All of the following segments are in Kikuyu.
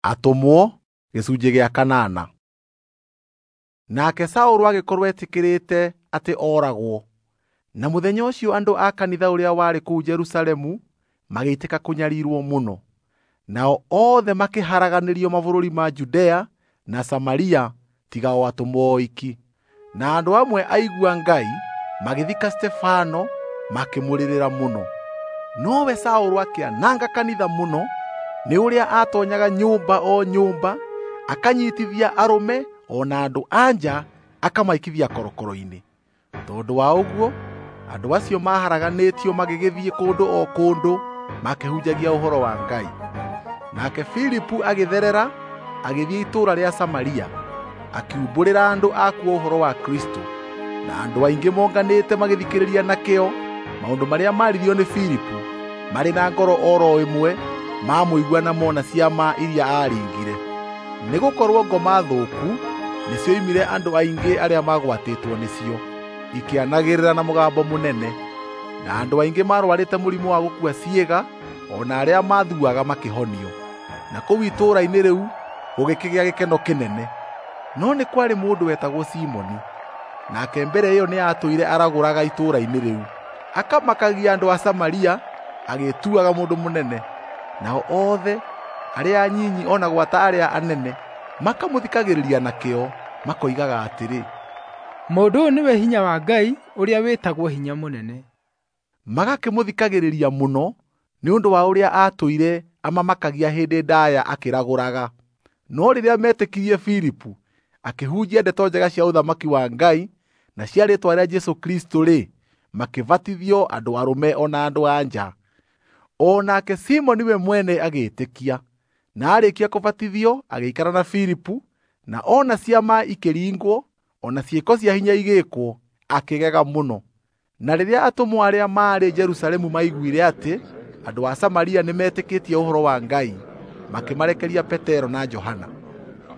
Atũmwo gĩcunjĩ gĩa kanana. Nake Saũlũ agĩkorwo etĩkĩrĩte atĩ oragwo. Na mũthenya ũcio andũ a kanitha ũrĩa warĩ kũu Jerusalemu magĩitĩka kũnyarirwo mũno. Nao othe makĩharaganĩrio mabũrũri ma Judea na Samaria tiga o atũmwo oiki. Na andũ amwe aigua Ngai magĩthika Stefano makĩmũrĩrĩra mũno. Nowe Saũlũ akĩananga kanitha mũno nĩ ũrĩa aatonyaga nyũmba o nyũmba akanyitithia arũme o na andũ a nja akamaikithia korokoro-inĩ. Tondũ wa ũguo andũ acio maharaganĩtio magĩgĩthiĩ kũndũ o kũndũ makĩhunjagia ũhoro wa Ngai. Nake Filipu agĩtherera agĩthiĩ itũũra rĩa Samaria akiumbũrĩra andũ akuo ũhoro wa Kristo, na andũ aingĩ monganĩte magĩthikĩrĩria na kĩyo maũndũ marĩa maaririo nĩ Filipu marĩ na ngoro oro ĩmwe mamũigua na mona ciama iria aaringire. Nĩgũkorwo ngoma thũku nĩcioimire andũ aingĩ arĩa magwatĩtwo nĩcio, ikĩanagĩrĩra na mũgambo mũnene, na andũ aingĩ marwarĩte mũrimũ wa gũkua ciĩga o na arĩa mathuaga makĩhonio. Na kũu itũũra-inĩ rĩu gũgĩkĩgĩa gĩkeno kĩnene. No nĩ kwarĩ mũndũ wetagwo Simoni, nake mbere ĩyo nĩatũire aragũraga itũũra-inĩ rĩu, akamakagia andũ a Samaria agĩĩtuaga mũndũ mũnene. Nao othe arĩa anyinyi o na gwata arĩa anene makamũthikagĩrĩria na kĩyo, makoigaga atĩrĩ, "Mũndũ ũyũ nĩwe hinya wa Ngai ũrĩa wĩtagwo hinya mũnene." Magakĩmũthikagĩrĩria mũno nĩ ũndũ wa ũrĩa aatũire amamakagia hĩndĩ ndaaya akĩragũraga. No rĩrĩa metĩkirie Filipu akĩhunjia ndeto njega cia ũthamaki wa Ngai na cia rĩĩtwa rĩa Jesũ Kristũ-rĩ, makĩbatithio andũ arũme o na andũ a nja. O nake Simoni we mwene agĩĩtĩkia, na aarĩkia kũbatithio agĩikara na Filipu, na ona ciama ikĩringwo, o na ciĩko cia hinya igĩĩkwo, akĩgega mũno. Na rĩrĩa atũmwo arĩa maarĩ Jerusalemu maiguire atĩ andũ a Samaria nĩmetĩkĩtie ũhoro wa Ngai, makĩmarekeria Petero na Johana.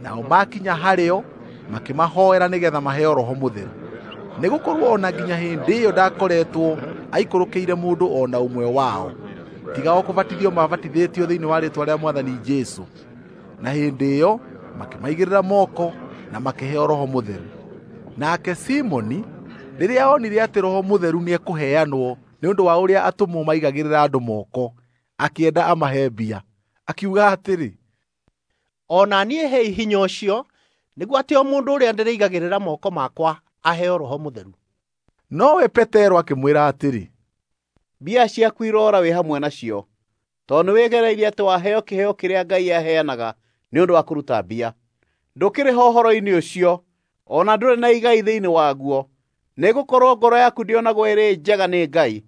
Nao makinya harĩo makĩmahoera nĩgetha maheo Roho Mũtheru. Nĩgũkorwo o na nginya hĩndĩ ĩyo ndakoretwo aikũrũkĩire mũndũ o na ũmwe wao, tiga o kũbatithio mabatithĩtio thĩinĩ wa rĩĩtwa rĩa Mwathani Jesũ. Na hĩndĩ ĩyo makĩmaigĩrĩra moko na makĩheo Roho Mũtheru. Nake Simoni rĩrĩa onire atĩ Roho Mũtheru nĩekũheanwo nĩ ũndũ wa ũrĩa atũmwo maigagĩrĩra andũ moko, akĩenda amahe mbia. Akiuga atĩrĩ, "O na niĩ hei hinya ũcio nĩguo atĩ o mũndũ ũrĩa ndĩrĩigagĩrĩra moko makwa aheo Roho Mũtheru." Nowe Petero akĩmwĩra atĩrĩ, "Mbia ciaku iroora wĩ hamwe nacio, tondũ nĩwĩgereirie atĩ waheo kĩheo kĩrĩa Ngai aheanaga nĩ ũndũ wa kũruta mbia. Ndũkĩrĩ ho ũhoro-inĩ ũcio, o na ndũrĩ na igai thĩinĩ waguo, nĩgũkorwo ngoro yaku ndĩonagwo ĩrĩ njega nĩ Ngai.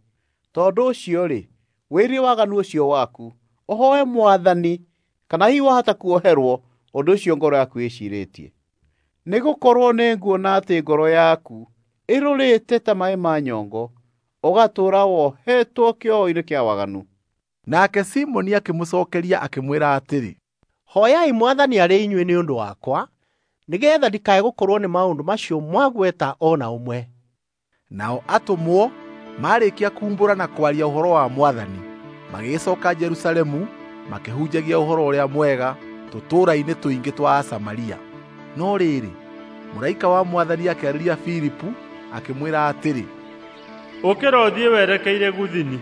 Tondũ ũcio-rĩ, wĩrie waganu ũcio waku, ũhooe Mwathani, kana hihi wahota kuoherwo ũndũ ũcio ngoro yaku ĩciirĩtie. Nĩgũkorwo nĩnguona atĩ ngoro yaku ĩrũrĩte ta maaĩ ma nyongo, ũgatũũra wohetwo kĩoho-inĩ kĩa waganu." Nake Simoni akĩmũcookeria akĩmwĩra atĩrĩ, "Hooyai Mwathani arĩ inyuĩ nĩ ũndũ wakwa, nĩgeetha ndikae gũkorwo nĩ maũndũ macio mwagweta o na ũmwe." Nao atũmwo maarĩkia kuumbũra na kwaria ũhoro wa Mwathani, magĩgĩcooka Jerusalemu makĩhunjagia ũhoro ũrĩa mwega tũtũũra-inĩ tũingĩ twa Asamaria. No rĩrĩ, mũraika wa Mwathani akĩarĩria Filipu akĩmwĩra atĩrĩ, "Ũkĩra ũthiĩ werekeire Gũthini,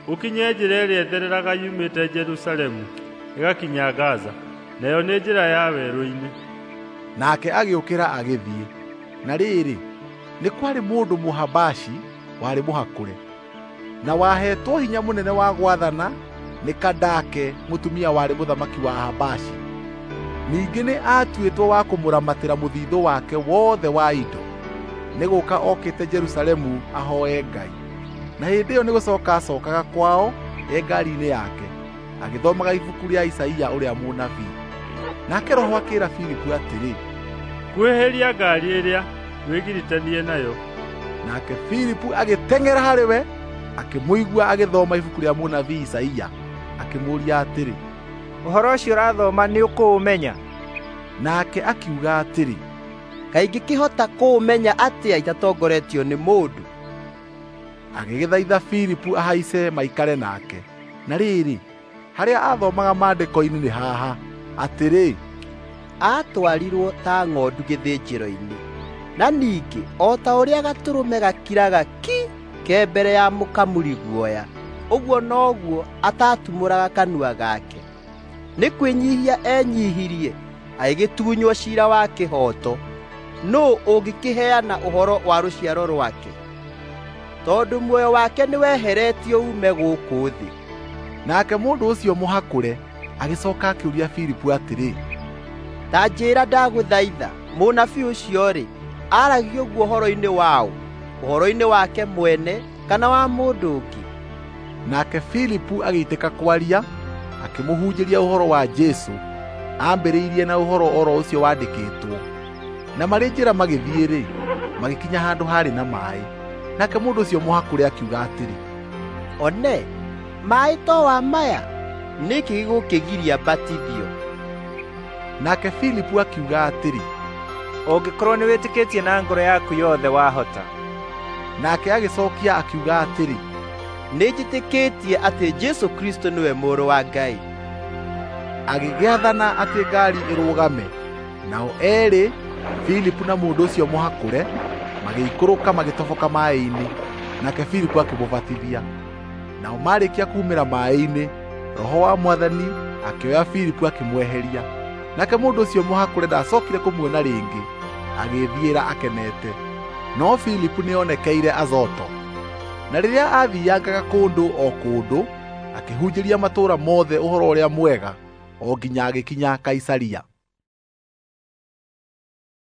ũkinye njĩra ĩrĩa ĩthereraga yumĩte Jerusalemu ĩgakinya Gaza, nayo nĩ njĩra ya werũ-inĩ." Nake agĩũkĩra agĩthiĩ. Na rĩrĩ, nĩ kwarĩ mũndũ Mũhabashi warĩ mũhakũre, na waheetwo hinya mũnene wa gwathana nĩ Kandake mũtumia warĩ mũthamaki wa Ahabashi. Ningĩ nĩ aatuĩtwo wa kũmũramatĩra mũthithũ wake wothe wa indo, nĩ gũũka okĩte Jerusalemu ahooe Ngai. Na hĩndĩ ĩyo nĩgũcooka acookaga kwao e ngaari-inĩ yake, agĩthomaga ibuku rĩa Isaia ũrĩa mũnabii. Nake Roho akĩĩra Filipu atĩrĩ, "Kuhĩrĩria ngaari ĩrĩa wĩgiritanie nayo." Nake Filipu agĩteng'era harĩ we, akĩmũigua agĩthoma ibuku rĩa mũnabii Isaia, akĩmũũria atĩrĩ, "Ũhoro ũcio ũrathoma nĩũkũũmenya?" Nake akiuga atĩrĩ, "Kaĩ ingĩkĩhota kũũmenya atĩa itatongoretio nĩ mũndũ?" Agĩgĩthaitha Filipu ahaice maikare nake. Na rĩrĩ, harĩa aathomaga maandĩko-inĩ nĩ haha, Atĩrĩ, Aatwarirwo ta ng'ondu gĩthĩnjĩro-inĩ, na ningĩ o ta ũrĩa gatũrũme gakiraga ki ke mbere ya mũkamuri guoya, ũguo noguo atatumũraga kanua gake. Nĩ kwĩnyihia enyihirie, agĩgĩtunywo ciira wa kĩhooto. Nũũ ũngĩkĩheana ũhoro wa rũciaro rwake? Tondũ muoyo wake nĩweheretio uume gũkũ thĩ. Nake mũndũ ũcio mũhakũre agĩcoka akĩũria Filipu atĩrĩ, Ta njĩĩra ndagũthaitha, mũnabii ũcio-rĩ, aaragia ũguo ũhoro-inĩ waũ? Ũhoro-inĩ wake mwene kana wa mũndũ ũngĩ? Nake Filipu agĩitĩka kwaria, akĩmũhunjĩria ũhoro wa Jesũ, ambĩrĩirie na ũhoro oro ũcio wandĩkĩtwo. Na marĩ njĩra magĩthiĩ-rĩ, magĩkinya handũ haarĩ na maaĩ. Nake mũndũ ũcio mũhakũre akiuga atĩrĩ, One, maaĩ to wa maya, nĩkĩ gĩgũkĩgiria mbatithio? Nake Filipu akiuga atĩrĩ, Ũngĩkorwo nĩwĩtĩkĩtie na ngoro yaku yothe wahota. Nake agĩcokia akiuga atĩrĩ, Nĩnjĩtĩkĩtie atĩ Jesũ Kristũ nĩwe Mũrũ wa Ngai. Agĩgĩathana atĩ ngaari ĩrũgame. Nao eerĩ, Filipu na mũndũ ũcio mũhakũre, magĩikũrũka magĩtoboka maaĩ-inĩ, nake Filipu akĩmũbatithia. Nao maarĩkia kuumĩra maaĩ-inĩ, Roho wa Mwathani akĩoya Filipu akĩmweheria. Nake mũndũ ũcio mũhakũre ndacookire kũmuona rĩngĩ, agĩĩthiĩra akenete. No Filipu nĩonekeire Azoto. Na rĩrĩa aathiangaga kũndũ o kũndũ, akĩhunjĩria matũũra mothe ũhoro ũrĩa mwega, o nginya agĩkinya Kaisaria.